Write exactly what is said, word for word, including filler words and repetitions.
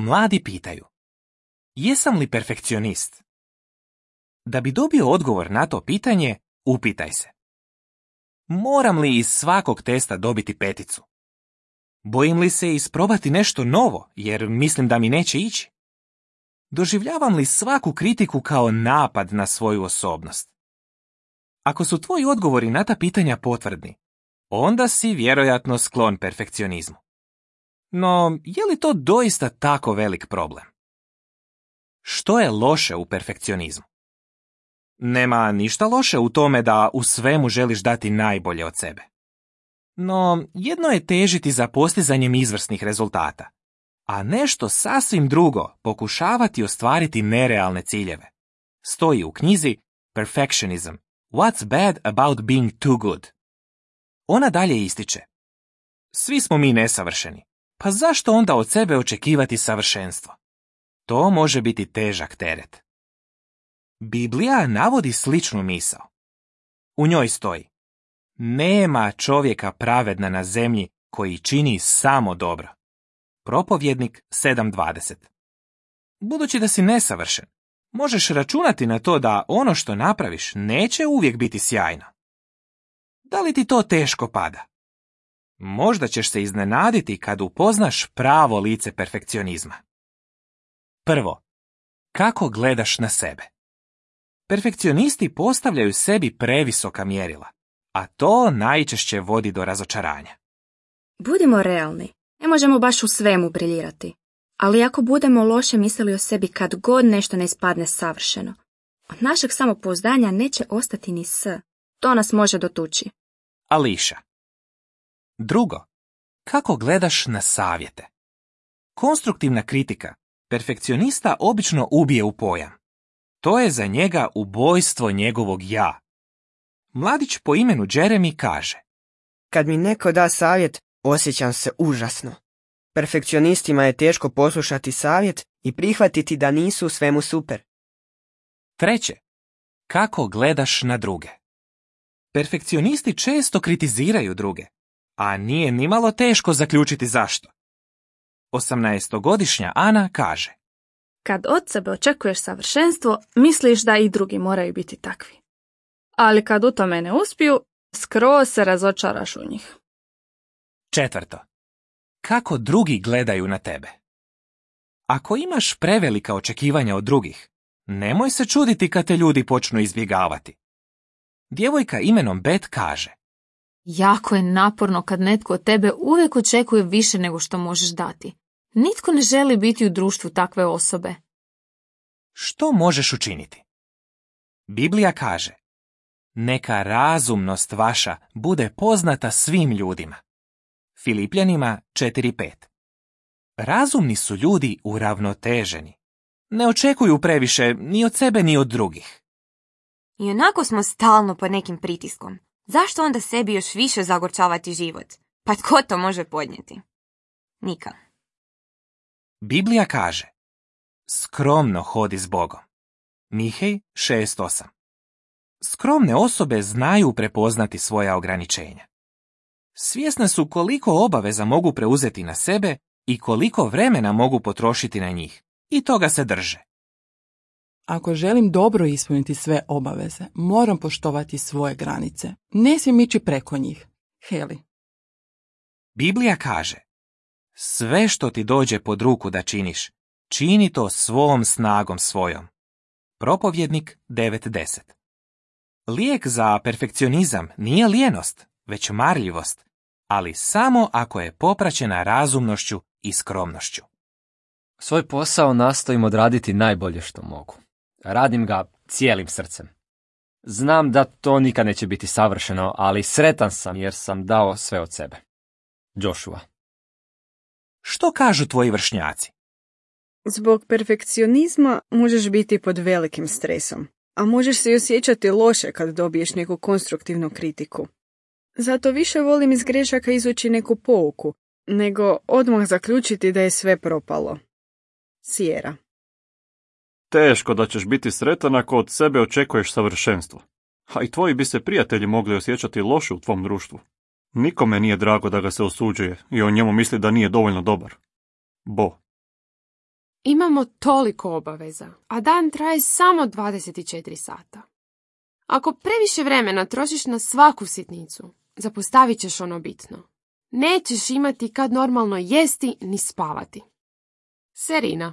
Mladi pitaju: jesam li perfekcionist? Da bi dobio odgovor na to pitanje, upitaj se: moram li iz svakog testa dobiti peticu? Bojim li se isprobati nešto novo, jer mislim da mi neće ići? Doživljavam li svaku kritiku kao napad na svoju osobnost? Ako su tvoji odgovori na ta pitanja potvrdni, onda si vjerojatno sklon perfekcionizmu. No, je li to doista tako velik problem? Što je loše u perfekcionizmu? Nema ništa loše u tome da u svemu želiš dati najbolje od sebe. No, jedno je težiti za postizanjem izvrsnih rezultata, a nešto sasvim drugo pokušavati ostvariti nerealne ciljeve. Stoji u knjizi Perfectionism. What's bad about being too good? Ona dalje ističe: svi smo mi nesavršeni, pa zašto onda od sebe očekivati savršenstvo? To može biti težak teret. Biblija navodi sličnu misao. U njoj stoji: nema čovjeka pravedna na zemlji koji čini samo dobro. Propovjednik sedam dvadeset. Budući da si nesavršen, možeš računati na to da ono što napraviš neće uvijek biti sjajno. Da li ti to teško pada? Možda ćeš se iznenaditi kad upoznaš pravo lice perfekcionizma. Prvo, kako gledaš na sebe? Perfekcionisti postavljaju sebi previsoka mjerila, a to najčešće vodi do razočaranja. Budimo realni, ne možemo baš u svemu briljirati. Ali ako budemo loše mislili o sebi kad god nešto ne ispadne savršeno, od našeg samopouzdanja neće ostati ni s. To nas može dotući. Ališa. Drugo, kako gledaš na savjete? Konstruktivna kritika perfekcionista obično ubije u pojam. To je za njega ubojstvo njegovog ja. Mladić po imenu Jeremy kaže: kad mi neko da savjet, osjećam se užasno. Perfekcionistima je teško poslušati savjet i prihvatiti da nisu u svemu super. Treće, kako gledaš na druge? Perfekcionisti često kritiziraju druge, a nije nimalo teško zaključiti zašto. osamnaestogodišnja Ana kaže: kad od sebe očekuješ savršenstvo, misliš da i drugi moraju biti takvi. Ali kad u tome ne uspiju, skroz se razočaraš u njih. Četvrto, kako drugi gledaju na tebe? Ako imaš prevelika očekivanja od drugih, nemoj se čuditi kad te ljudi počnu izbjegavati. Djevojka imenom Bet kaže: jako je naporno kad netko od tebe uvijek očekuje više nego što možeš dati. Nitko ne želi biti u društvu takve osobe. Što možeš učiniti? Biblija kaže: neka razumnost vaša bude poznata svim ljudima. Filipljanima četiri pet. Razumni su ljudi uravnoteženi. Ne očekuju previše ni od sebe ni od drugih. I onako smo stalno pod nekim pritiskom. Zašto onda sebi još više zagorčavati život? Pa tko to može podnijeti? Nika. Biblija kaže: skromno hodi s Bogom. Mihej šest osam. Skromne osobe znaju prepoznati svoja ograničenja. Svjesne su koliko obaveza mogu preuzeti na sebe i koliko vremena mogu potrošiti na njih, i toga se drže. Ako želim dobro ispuniti sve obaveze, moram poštovati svoje granice. Ne smijem ići preko njih. Heli. Biblija kaže: sve što ti dođe pod ruku da činiš, čini to svom snagom svojom. Propovjednik devet deset. Lijek za perfekcionizam nije lijenost, već marljivost, ali samo ako je popraćena razumnošću i skromnošću. Svoj posao nastojim odraditi najbolje što mogu. Radim ga cijelim srcem. Znam da to nikad neće biti savršeno, ali sretan sam jer sam dao sve od sebe. Joshua. Što kažu tvoji vršnjaci? Zbog perfekcionizma možeš biti pod velikim stresom, a možeš se i osjećati loše kad dobiješ neku konstruktivnu kritiku. Zato više volim iz grešaka izvući neku pouku, nego odmah zaključiti da je sve propalo. Sierra. Teško da ćeš biti sretan ako od sebe očekuješ savršenstvo. A i tvoji bi se prijatelji mogli osjećati loše u tvom društvu. Nikome nije drago da ga se osuđuje i o njemu misli da nije dovoljno dobar. Bo. Imamo toliko obaveza, a dan traje samo dvadeset četiri sata. Ako previše vremena trošiš na svaku sitnicu, zapostavit ćeš ono bitno. Nećeš imati kad normalno jesti ni spavati. Serina.